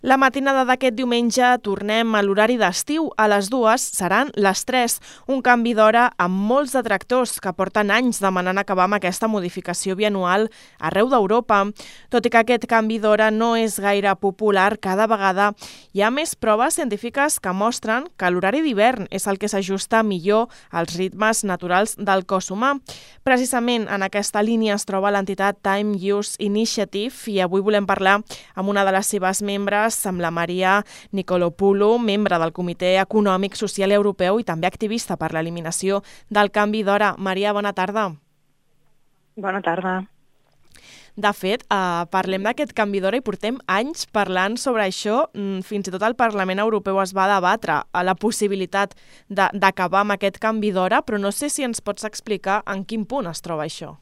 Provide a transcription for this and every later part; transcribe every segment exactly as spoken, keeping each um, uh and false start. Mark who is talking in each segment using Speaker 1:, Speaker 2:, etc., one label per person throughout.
Speaker 1: La matinada d'aquest diumenge tornem a l'horari d'estiu. A les dues seran les tres, un canvi d'hora amb molts detractors que porten anys demanant acabar amb aquesta modificació bianual arreu d'Europa. Tot i que aquest canvi d'hora no és gaire popular, cada vegada hi ha més proves científiques que mostren que l'horari d'hivern és el que s'ajusta millor als ritmes naturals del cos humà. Precisament en aquesta línia es troba l'entitat Time Use Initiative i avui volem parlar amb una de les seves membres, amb la Maria Nicolopoulou, membre del Comitè Econòmic Social Europeu i també activista per l'eliminació del canvi d'hora. Maria, bona tarda.
Speaker 2: Bona tarda.
Speaker 1: De fet, eh, parlem d'aquest canvi d'hora i portem anys parlant sobre això. Fins i tot el Parlament Europeu es va debatre a la possibilitat d'acabar amb aquest canvi d'hora, però no sé si ens pots explicar en quin punt es troba això.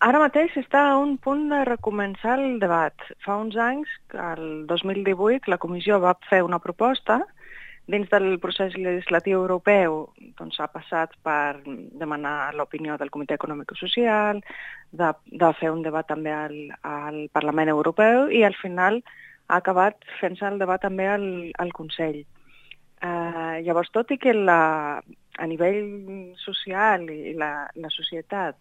Speaker 2: Ara mateix està a un punt de recomençar el debat. Fa uns anys, el dos mil divuit, la Comissió va fer una proposta. Dins del procés legislatiu europeu doncs, ha passat per demanar l'opinió del Comitè Econòmic i Social, de, de fer un debat també al, al Parlament Europeu i al final ha acabat fent-se el debat també al, al Consell. Eh, llavors, tot i que la, a nivell social i la, la societat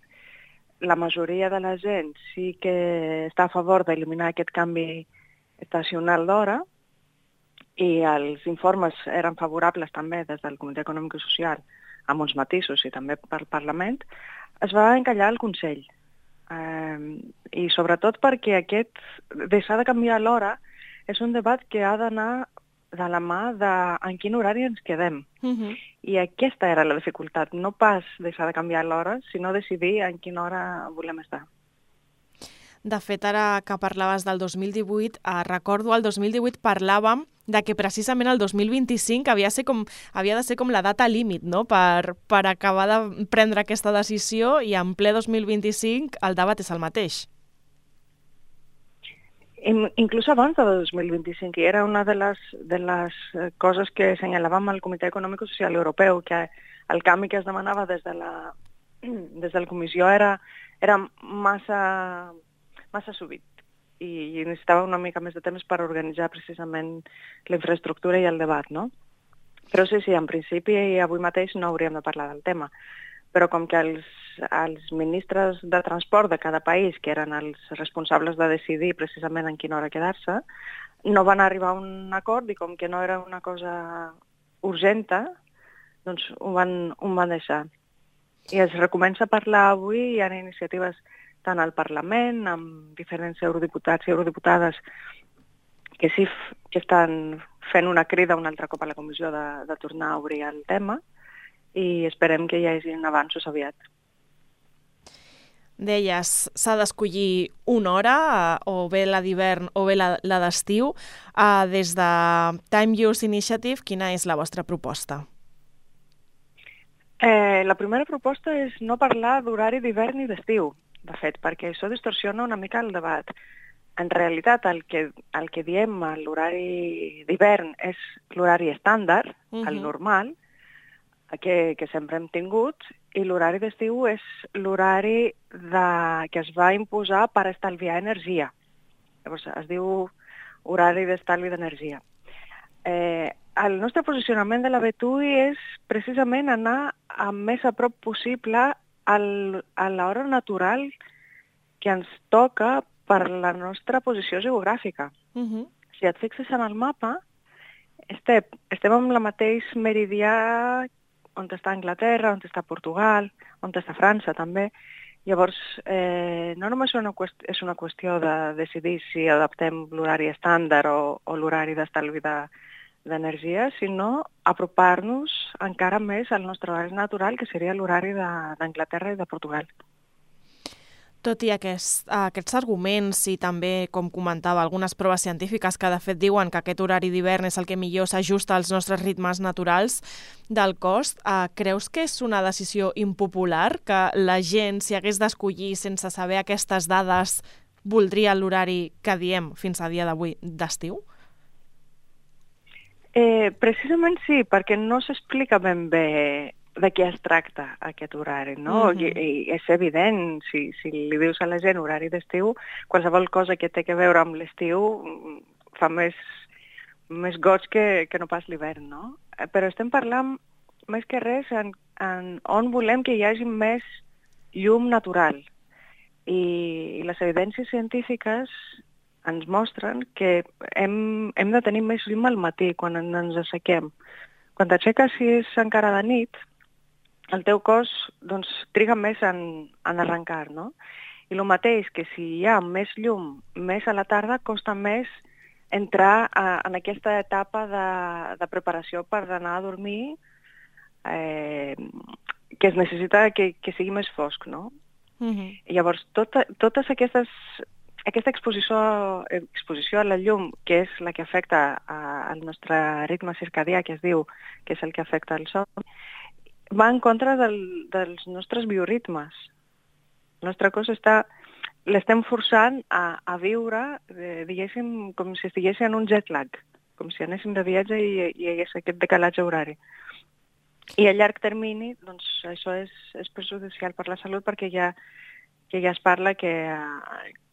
Speaker 2: la majoria de la gent sí que està a favor d'eliminar aquest canvi estacional d'hora i els informes eren favorables també des del Comitè Econòmic i Social amb uns matisos i també pel Parlament, es va encallar al Consell. Eh, I sobretot perquè aquest deixar de canviar l'hora és un debat que ha d'anar de la mà de en quin horari ens quedem. Uh-huh. I aquesta era la dificultat, no pas deixar de canviar l'hora, sinó decidir en quina hora volem estar.
Speaker 1: De fet, ara que parlaves del dos mil divuit, eh, recordo el dos mil divuit parlàvem de que precisament el dos mil vint-i-cinc havia, ser com, havia de ser com la data límit, no? per, per acabar de prendre aquesta decisió i en ple dos mil vint-i-cinc el debat és el mateix.
Speaker 2: Inclús abans del dos mil vint-i-cinc, i era una de les, de les coses que assenyalàvem al Comitè Econòmic i Social Europeu, que el canvi que es demanava des de la, des de la Comissió era, era massa, massa súbit i, i necessitava una mica més de temps per organitzar precisament la infraestructura i el debat, no? Però sí, sí, en principi i avui mateix no hauríem de parlar del tema. Però com que els, els ministres de transport de cada país, que eren els responsables de decidir precisament en quina hora quedar-se, no van arribar a un acord i com que no era una cosa urgenta, doncs ho van, ho van deixar. I es recomença a parlar avui, hi ha iniciatives tant al Parlament, amb diferents eurodiputats i eurodiputades que sí que estan fent una crida un altre cop a la Comissió de, de tornar a obrir el tema, i esperem que hi hagi avanços aviat.
Speaker 1: Deies, s'ha d'escollir una hora, o bé la d'hivern o bé la, la d'estiu. Uh, des de Time Use Initiative, quina és la vostra proposta?
Speaker 2: Eh, la primera proposta és no parlar d'horari d'hivern i d'estiu, de fet, perquè això distorsiona una mica el debat. En realitat, el que, el que diem a l'horari d'hivern és l'horari estàndard, uh-huh. el normal, Que, que sempre hem tingut, i l'horari d'estiu és l'horari que es va imposar per estalviar energia. Llavors, es diu horari d'estalvi d'energia. Eh, el nostre posicionament de la B T U I és precisament anar el més a prop possible al, a l'hora natural que ens toca per la nostra posició geogràfica. Uh-huh. Si et fixes en el mapa, estem, estem en la mateix meridià on està Anglaterra, on està Portugal, on està França també. Llavors, eh, no només una qüestió, és una qüestió de decidir si adaptem l'horari estàndard o, o l'horari d'estalvi d'energia, sinó apropar-nos encara més al nostre horari natural, que seria l'horari d'Anglaterra i de Portugal.
Speaker 1: Tot i aquest, aquests arguments i també, com comentava, algunes proves científiques que de fet diuen que aquest horari d'hivern és el que millor s'ajusta als nostres ritmes naturals del cos, eh, creus que és una decisió impopular, que la gent, si hagués d'escollir sense saber aquestes dades, voldria l'horari que diem fins a dia d'avui d'estiu?
Speaker 2: Eh, precisament sí, perquè no s'explica ben bé de què es tracta aquest horari, no? Uh-huh. I, i és evident, si, si li dius a la gent horari d'estiu, qualsevol cosa que té a veure amb l'estiu fa més, més goig que, que no pas l'hivern, no? Però estem parlant més que res en, en on volem que hi hagi més llum natural. I, i les evidències científiques ens mostren que hem, hem de tenir més llum al matí, quan ens assequem. Quan t'aixeques, si és encara de nit, el teu cos doncs, triga més en, en arrencar, no? I el mateix que si hi ha més llum més a la tarda, costa més entrar a, en aquesta etapa de, de preparació per anar a dormir, eh, que es necessita que, que sigui més fosc, no? Uh-huh. I llavors, tota, totes aquestes, aquesta exposició, exposició a la llum, que és la que afecta a, al nostre ritme circadià, que es diu que és el que afecta el son, va en contra del, dels nostres bioritmes. El nostre cos està, l'estem forçant a, a viure, eh, diguéssim, com si estigués en un jet lag, com si anéssim de viatge i, i hi hagués aquest decalatge horari. I a llarg termini, doncs, això és, és perjudicial per la salut perquè ja, que ja es parla que,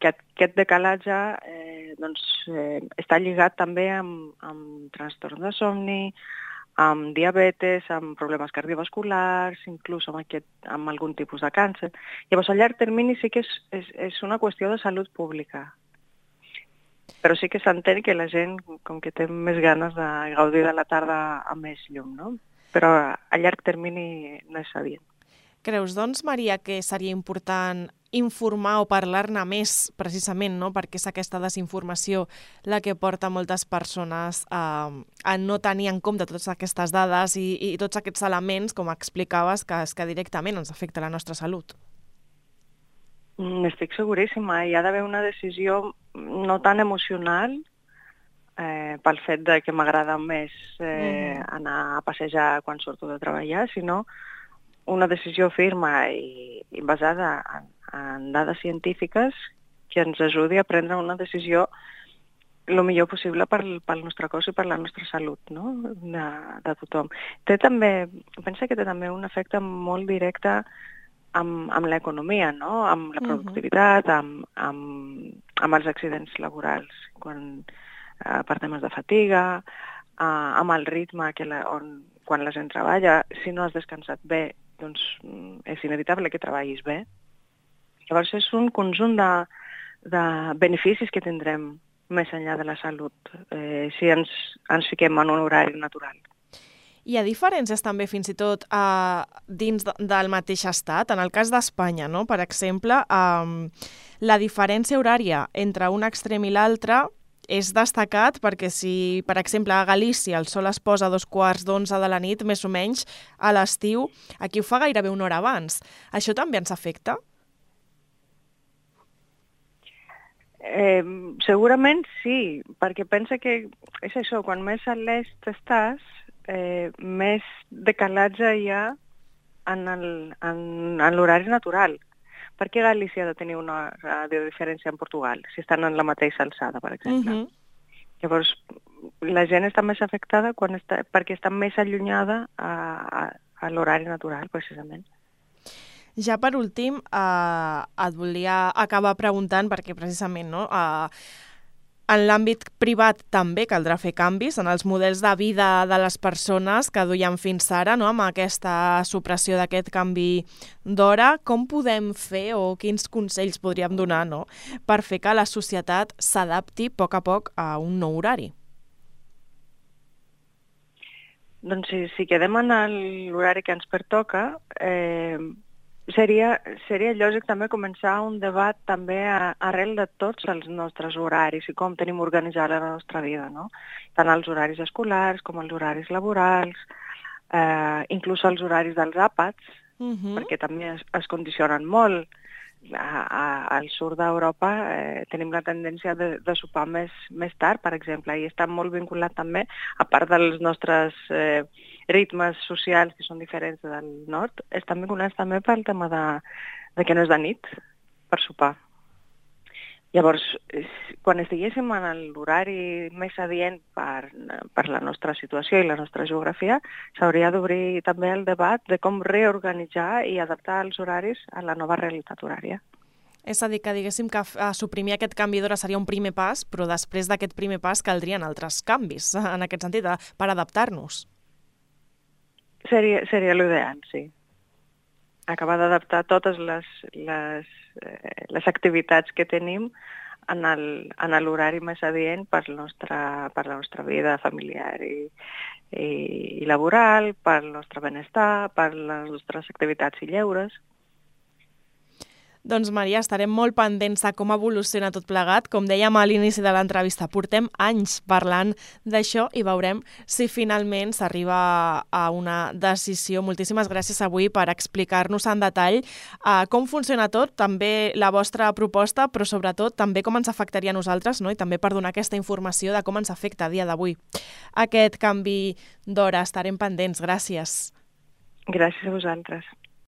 Speaker 2: que aquest decalatge eh, doncs, eh, està lligat també amb, amb trastorns de somni, amb diabetes, amb problemes cardiovasculars, inclús amb, aquest, amb algun tipus de càncer. Llavors, a llarg termini sí que és, és, és una qüestió de salut pública. Però sí que s'entén que la gent, com que té més ganes de gaudir de la tarda amb més llum, no? Però a llarg termini no és adient.
Speaker 1: Creus, doncs, Maria, que seria important informar o parlar-ne més, precisament, no? Perquè és aquesta desinformació la que porta moltes persones a, a no tenir en compte totes aquestes dades i, i tots aquests elements, com explicaves, que, que directament ens afecta la nostra salut.
Speaker 2: Estic seguríssima. Hi ha d'haver una decisió no tan emocional, eh, pel fet de que m'agrada més eh, mm. anar a passejar quan surto de treballar, sinó una decisió firma i, i basada en, en dades científiques que ens ajudi a prendre una decisió el millor possible pel, pel nostre cos i per la nostra salut, no? de, de tothom. Té també, pensa que té també un efecte molt directe amb, amb l'economia, no? Amb la productivitat, amb, amb, amb els accidents laborals, quan, eh, per temes de fatiga, eh, amb el ritme que la, on, quan la gent treballa. Si no has descansat bé, doncs és inevitable que treballis bé. Llavors és un conjunt de, de beneficis que tindrem més enllà de la salut, eh, si ens, ens fiquem en un horari natural.
Speaker 1: Hi ha diferències també fins i tot eh, dins de, del mateix estat. En el cas d'Espanya, no? Per exemple, eh, la diferència horària entre un extrem i l'altre és destacat perquè si, per exemple, a Galícia el sol es posa a dos quarts d'onze de la nit, més o menys, a l'estiu, aquí ho fa gairebé una hora abans. Això també ens afecta?
Speaker 2: Eh, segurament sí, perquè pensa que és això, quan més a l'est estàs, eh, més decalatge hi ha en el- en- en l'horari natural. Per què Galícia ha de tenir una hora de diferència en Portugal, si estan en la mateixa alçada, per exemple? Uh-huh. Llavors, la gent està més afectada quan està, perquè està més allunyada a, a, a l'horari natural, precisament.
Speaker 1: Ja per últim, eh, et volia acabar preguntant, perquè precisament no, eh, en l'àmbit privat també caldrà fer canvis en els models de vida de les persones que duien fins ara, no, amb aquesta supressió d'aquest canvi d'hora. Com podem fer o quins consells podríem donar, no, per fer que la societat s'adapti a poc a poc a un nou horari?
Speaker 2: Doncs si, si quedem en l'horari que ens pertoca, eh, Seria, seria lògic també començar un debat també a, arrel de tots els nostres horaris i com tenim organitzada la nostra vida, no? Tant els horaris escolars com els horaris laborals, eh, inclús els horaris dels àpats, uh-huh. perquè també es, es condicionen molt. A, a, al sud d'Europa eh, tenim la tendència de, de sopar més, més tard, per exemple, i està molt vinculat també, a part dels nostres eh, ritmes socials que són diferents del nord, estan vinculats també pel tema de, de que no és de nit per sopar. Llavors, quan estiguéssim en l'horari més adient per, per la nostra situació i la nostra geografia, s'hauria d'obrir també el debat de com reorganitzar i adaptar els horaris a la nova realitat horària.
Speaker 1: És a dir, que diguéssim que suprimir aquest canvi d'hora seria un primer pas, però després d'aquest primer pas caldrien altres canvis, en aquest sentit, per adaptar-nos.
Speaker 2: Seria, seria l'ideal, sí. Acabar d'adaptar totes les, les, eh, les activitats que tenim en l'horari més adient per, nostra, per la nostra vida familiar i, i, i laboral, per el nostre benestar, per les nostres activitats i lleures.
Speaker 1: Doncs, Maria, estarem molt pendents de com evoluciona tot plegat. Com dèiem a l'inici de l'entrevista, portem anys parlant d'això i veurem si finalment s'arriba a una decisió. Moltíssimes gràcies avui per explicar-nos en detall uh, com funciona tot, també la vostra proposta, però sobretot també com ens afectaria a nosaltres, no? I també per donar aquesta informació de com ens afecta a dia d'avui aquest canvi d'hora. Estarem pendents. Gràcies.
Speaker 2: Gràcies a vosaltres.